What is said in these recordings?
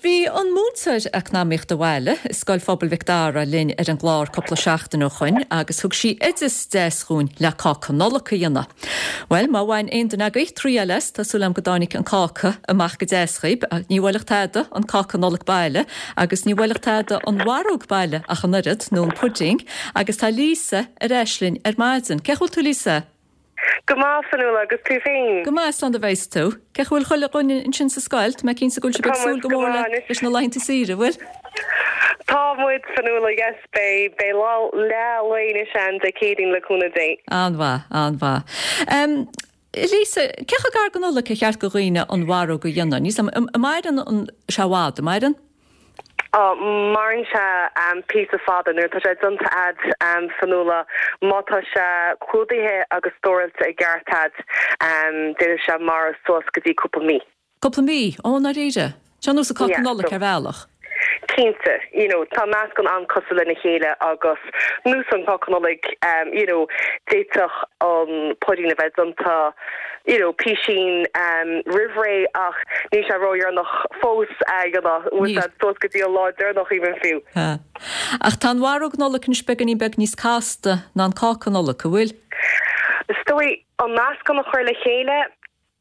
bhí an múinteoir Eacnamaíochta Bhaile i Scoil Phobail Mhic Dara linn ar an gclár cúpla seachtain ó shoin agus thug sí oideas deas dhúinn le cáca Nollag a dhéanamh. Bhuel, má bhain aon duine agaibh triail as, tá súil agam go dtáinig an cáca amach go deas dhaoib. Ní bhuailfeadh tada an cáca Nollag baile agus ní bhuailfeadh tada an mharóg baile ach an oiread, nó an puiding, agus tá Lisa ar ais linn ar maidin. Cén chaoi a bhfuil tú Lisa? Go maith, Fionnuala, agus tú féin? Go maith, slán do bheas tú. Cén chaoi a bhfuil chuile dhuine ansin sa scoil? Tá mé cinnte go bhfuil sibh ag súil go mór leis na laethanta saoire, bhfuil? Tá muid, Fionnuala, yes, beidh, beidh lá, leath lae anois ann Dé Céadaoin le cúnamh Dé. An-mhaith, an-mhaith. Lisa, cé chomh gar don Nollaig ar cheart do dhaoine an mharóg a dhéanamh? Níl 's a'm, an maireann sé i bhfad, an maireann? Á, maireann sé píosa fada nuair atá sé déanta a'd, Fionnuala. Má tá sé clúdaithe agus stóráilte i gceart a'd, d'fhéadfadh sé maireadh suas go dtí cúpla mí. Cúpla mí? Ó, i ndáiríre? Seo ar nós an cáca Nollag ar bhealach. Cinnte, you know, tá meascán an-cosúil lena chéile agus nós an cáca Nollag, you know, d'fhéadfadh an puidín a bheith déanta, you know, písín roimh ré ach níl sé ródheireanach fós you know, bhfuil sé suas go dtí an lá deireanach even fiú. Sea. Ach tá an mharóg Nollag anois beagáinín beag níos casta ná an cáca Nollag, an bhfuil? Is dóigh, an meascán a chur le chéile,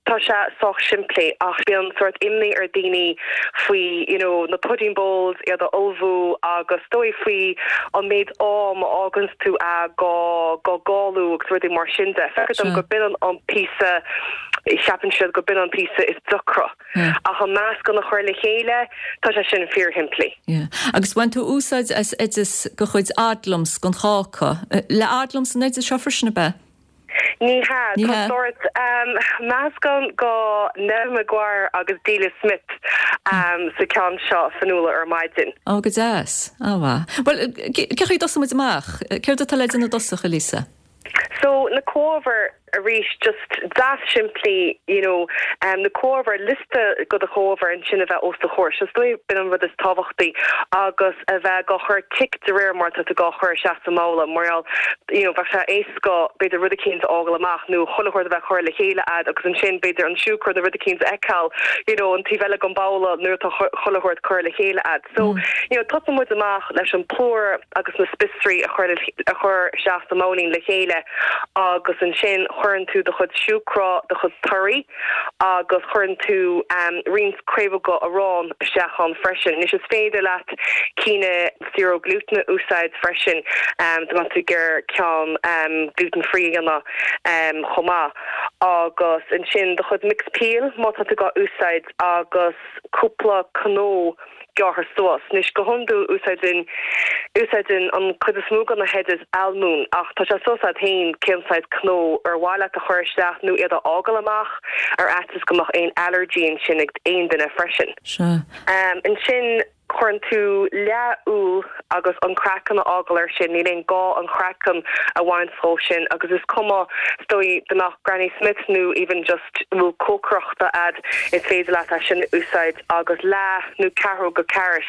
Tá sé sách simplí ach bíonn sórt imní ar daoine faoi you know na pudding bowls, iad a ullmhú agus is dóigh faoi an méid am a fháganns tú a gá gá gálú agus rudaí mar sin de. Feictear dom go b'in an píosa, cheapann siad go b'in an píosa is deacra. Ach an meascán a chur le chéile, tá sé sin fíorshimplí. Yeah. Agus bhain tú úsáid as oideas de chuid Odlums don cháca. Le Odlums an oideas seo freisin, ab ea? Ní hea. Tá sórt meascán go Neven Maguire agus Delia Smith sa ceann seo, Fionnuala, ar maidin. Ó, go deas. An-mhaith. Bhuel, cén chaoi a dtosóidh muid amach? Céard atá le déanamh i dtosach, a Lisa? So, na comhábhair arís, just deas simplí, you know, na comhábhair, liosta go do chomhábhair ansin a bheith os do chomhair. So, is dóigh b'in an rud is tábhachtaí agus a bheith gá chur tic de réir mar atá tú gá chur isteach sa mbabhla mar gheall, you know, bheadh sé éasca b'fhéidir rud eicínt a fhágáil amach nó chuile shórt a bheith curtha le chéile a'd agus ansin b'fhéidir an siúcra nó rud eicínt a fheiceáil you know an taobh eile den bhabhla nuair atá chuile shórt curtha le chéile a'd. So, you know, tosaíonn muid amach leis an plúr agus na spiosraí a chur a chur isteach sa mbabhlaín le chéile agus ansin cuireann tú do chuid siúcra, do chuid torthaí agus cuireann tú roinnt craobhóga arán isteach ann freisin. Anois is féidir leat cinn zero gluten a úsáid freisin dá mbeadh tú ag iarraidh ceann gluten free a dhéanamh chomh maith. Agus ansin do chuid mixed peel má tá tú gá úsáid agus cúpla cnó gearrtha suas. Anois go hiondúil úsáideann úsáideann an cuid is mó de na hoidis almóinn ach tá sé suas leat féin cén saghas cnó ar mhaith leat a chur isteach nó iad a fhágáil amach ar fhaitíos go mbeadh aon allergy ansin ag aon duine freisin. Sea. Ansin cuireann tú leath úll agus an craiceann a fhágáil air sin, níl aon gá an craiceann a bhaint dhó sin agus is cuma is dóigh dá mbeadh Granny Smith nó even just úll cócaireachta a'd is féidir leat é sin a úsáid agus leath nó ceathrú go carrot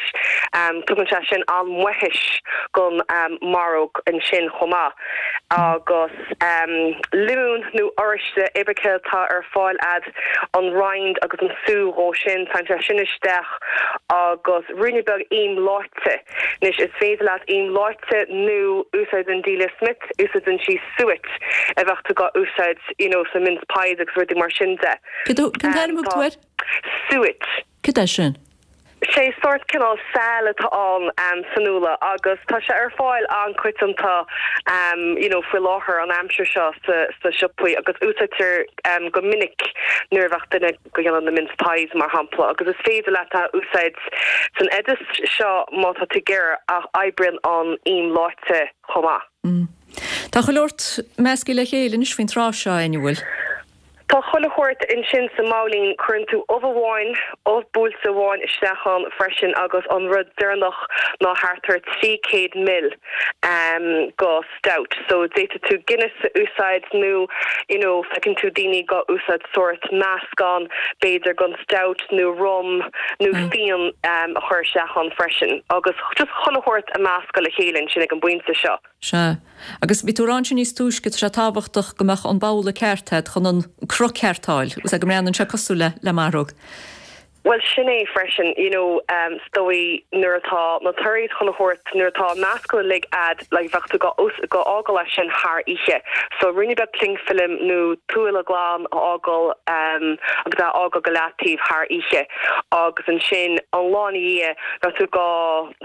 tugann sé sin an-mhaothais gon maróg ansin chomh maith agus liomún nó oráiste pé ar bith céard atá ar fáil a'd an rind agus an sú dhó sin, téann sé sin isteach agus ruainne beag im leáite. Anois is féidir leat im leáite nó úsáideann Delia Smith, úsáideann sí suet a bheadh tú gá úsáid you know sna mince pies agus rudaí mar sin de. Cén t-ainm a thug tú air? Suet. Cad é sin? Sé sórt cineál saill atá ann Fionnuala agus tá sé ar fáil an-coitianta you know faoi láthair an aimsir seo sna siopaí agus úsáidtear go minic nuair a bheadh duine go dhéanamh na mince pies mar shampla agus is féidir leat é a úsáid san oideas seo má tá tú ag iarraidh ach oibríonn an im leáite chomh maith. Tá chuile shórt measctha le chéile anois faoin tráth seo, an bhfuil? Tá chuile shórt ansin sa mbabhlaín. Cuireann tú ubh amháin, ubh buailte amháin isteach ann freisin agus an rud deireanach ná thart ar 300 ml go stout. So d'fhéadfadh tú Guinness a úsáid nó you know feiceann tú daoine gá úsáid sórt meascán b'fhéidir gon stout nó rum nó fíon a chur isteach ann freisin agus just chuile shórt a meascadh le chéile ansin ag an bpointe seo. Sea. Agus bhí tú ag rá ansin níos túisce, tá sé tábhachtach go mbeadh an babhla ceart agat chun an cruth ceart a fháil, go mbreathnaíonn sé cosúil le le maróg. Bhuel sin é freisin, you know, is dóigh nuair atá na torthaí chun a thabhairt, nuair atá an meascán uilig a'd, like bheadh tú go go fhágáil é sin thar oíche. So ruainne beag cling film nó tuáille glan a fhágáil agus é a fhágáil go leataobh thar oíche agus ansin an lá ina dhiaidh bheadh tú go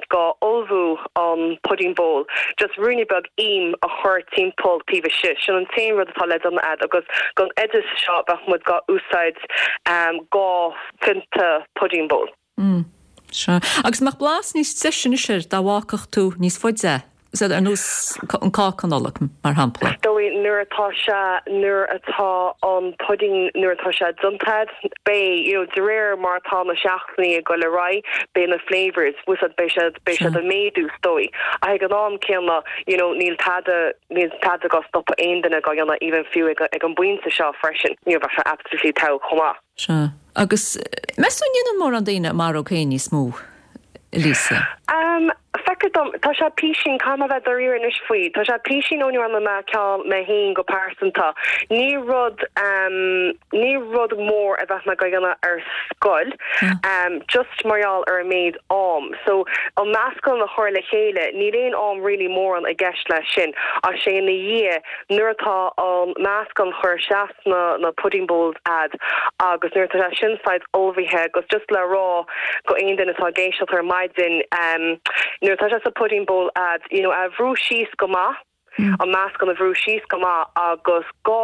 go ullmhú an pudding bowl, just ruainne beag im a chur timpeall taobh istigh, sin an t-aon rud atá le déanamh a'd agus don oideas seo bheadh muid go úsáid 2 phionta pudding bowl. Mm, sea. Agus mbeadh blas níos deise anois air dá bhfágfadh tú níos faide é? Is ar nós an cáca Nollag, mar shampla. Is dóigh nuair atá sé, nuair atá an pudding, nuair atá sé déanta a'd, beidh, you know, de réir mar atá na seachtainí ag dul ar aghaidh, beidh na flavours, bhfuil 's a'd, beidh siad, beidh siad ag méadú, is dóigh. Ach ag an am céanna, you know, níl tada, níl tada go stopadh aon duine go dhéanamh even fiú ag, ag an bpointe seo freisin, you know, bheadh sé absolutely togha chomh maith. Sea. Agus meas tú an ndéanann mórán daoine a maróg féin níos mó, a Lisa? Umm, feictear dom, tá sé písín, caithfidh mé bheith dáiríre anois faoi, tá sé písín ó ní dhearna mé ceann mé féin go pearsanta. Ní rud, umm, ní rud mór a bheadh mé go dhéanamh ar scoil, umm, just mar gheall ar an méid am. So, an meascán a chur le chéile, níl aon am really mórán i gceist leis sin, ach sé ina dhiaidh, nuair atá an meascán chur isteach sna na pudding bowls a'd agus nuair atá sé sin saghas ullmhaithe agus just le rá go aon duine atá ag éisteacht ar maidin ehm nuair atá sé sa pudding bowl a'd you know a bhrú síos go maith an meascán a bhrú síos go maith agus 2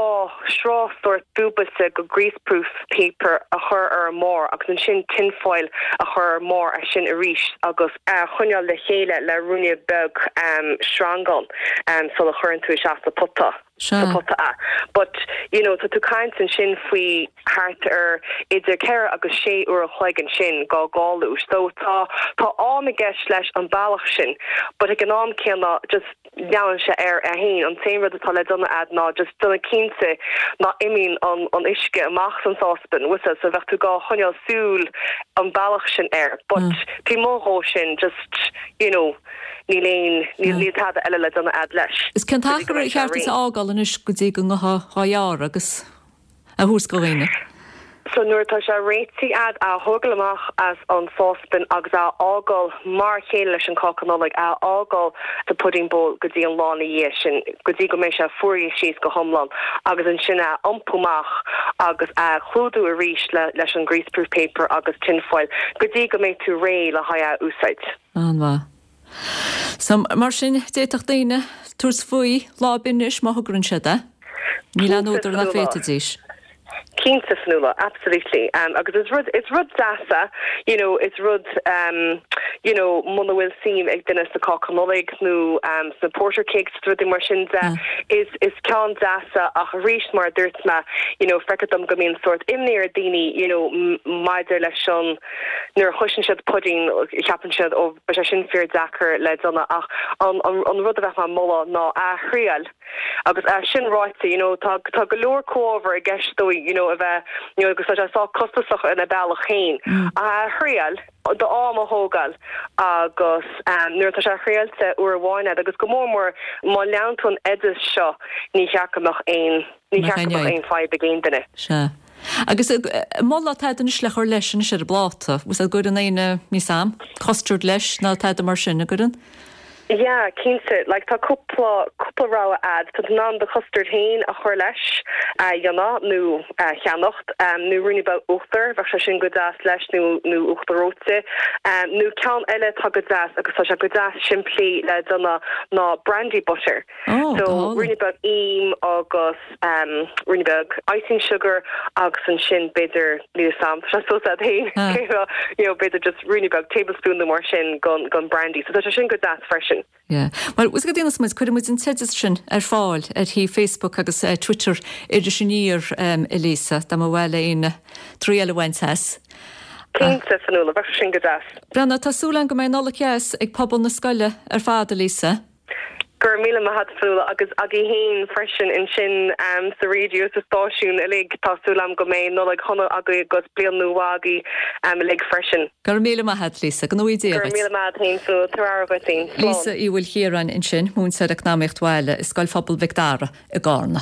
sraith sórt dúbailte go greaseproof paper a chur ar an mbarr agus ansin tin foil a chur ar an mbarr as sin arís agus a choinneáil le chéile le ruainne beag ehm sreangán ehm sula chuireann tú isteach sa pota. sa pota é. But, you know, tá tú caint ansin faoi thart ar idir ceithre agus sé uair a chloig ansin go galú. So tá, tá am i gceist leis an bealach sin. But ag an am céanna, just leanann sé air é féin. An t-aon rud atá le déanamh a'd ná just déanamh cinnte ná imíonn an, an uisce amach as an sáspan, bhfuil 's a'd, so bheadh tú gá choinneáil súil an bealach sin air. But taobh amuigh dhó sin, just, you know, Níl aon, níl, níl tada eile le déanamh a'd leis. Is cén t-achar ar cheart duit a fhágáil anois go dtí go ngabhfá dhá ghearradh agus a thabhairt go dhaoine? So nuair atá sé réitithe a'd, a thógáil amach as an sáspan agus a fhágáil mar a chéile leis an cáca Nollag, a fhágáil sa pudding bowl go dtí an lá ina dhiaidh sin, go dtí go mbeidh sé fuaraithe síos go hiomlán agus ansin a iompú amach agus a chlúdú arís le, leis an greaseproof paper agus tin foil go dtí go mbeidh tú réidh le haghaidh a úsáid. An-mhaith. So, mar sin, d'fhéadfadh daoine tabhairt faoi lá ar bith anois má thograíonn siad é. Níl aon údar nach bhféadfaidís. Cinnte, Fionnuala, absolutely. Agus is rud, is rud deas é, you know, is rud, you know, muna bhfuil suim ag duine sa cáca Nollag nó sna porter cakes is rudaí mar sin de, is, is ceann deas é ach arís mar a dúirt mé, you know, feictear dom go mbíonn sórt imní ar daoine, you know, maidir leis an, Nuair a chloiseann siad pudding, ceapann siad, ó, beidh sé sin fíor deacair le déanamh ach an an rud a bheadh mé ag moladh ná a thriail. Agus é sin ráite, you know, tá tá go leor comhábhar i gceist dóibh, you know, a bheith, you know, agus tá sé sách costasach ina bealach féin. Ach a thriail, do am a thógáil agus nuair atá sé thriailte uair amháin a'd agus go mór mór má leanann tú an oideas seo, ní cheart go mbeadh aon, ní cheart go mbeadh aon fadhb ag aon duine. Sea. Agus moladh tada anois le chur leis anois ar an bpláta. Bhfuil 's a'd an gcuireann éinne, níl 's a'm, custard leis ná tada mar sin, an gcuireann? Yeah, cinnte. Like tá cúpla, cúpla rogha a'd. Tá tú in ann do chustard féin a chur leis, a dhéanamh nó a cheannacht, nó ruainne beag uachtair, bheadh sé sin go deas leis nó, nó uachtar reoite. Nó ceann eile atá go deas agus tá sé go deas simplí le déanamh ná brandy butter. Oh, So go hálainn. ruainne beag im agus ruainne beag icing sugar agus ansin b'fhéidir, níl 'fhios a'm, tá sé suas leat féin, you know, b'fhéidir just ruainne beag tablespoon nó mar sin gon, gon brandy. So tá sé sin go deas freisin. Yeah. Bhuel, bhfuil 's agat cad a dhéanfas muid, cuirfidh muid an t-oideas sin ar fáil ar shuíomh Facebook agus Twitter Iris Aniar, a Lisa, dá mba mhaith le éinne triail a bhaint as. Cinnte, Fionnuala, bheadh sé sin go deas. Breathnaigh, tá súil agam go mbeidh Nollaig dheas ag pobal na scoile ar fad, a Lisa. Go raibh míle maith a't Fionnuala agus agaibh féin freisin ansin sa raidió sa stáisiún uilig. Tá súil agam go mbeidh Nollaig shona agaibh agus bliain nua mhaith agaibh uilig freisin. Go raibh míle maith a't Lisa. Go ngnóthaí Dia Go raibh dhuit. míle maith a't féin Fionnuala. Tabhair aire dhuit féin. Lisa Slán. Uí Mhaoilchiaráin ansin, múinteoir Eacnamaíocht Bhaile i Scoil Phobail Mhic Dara i gCarna.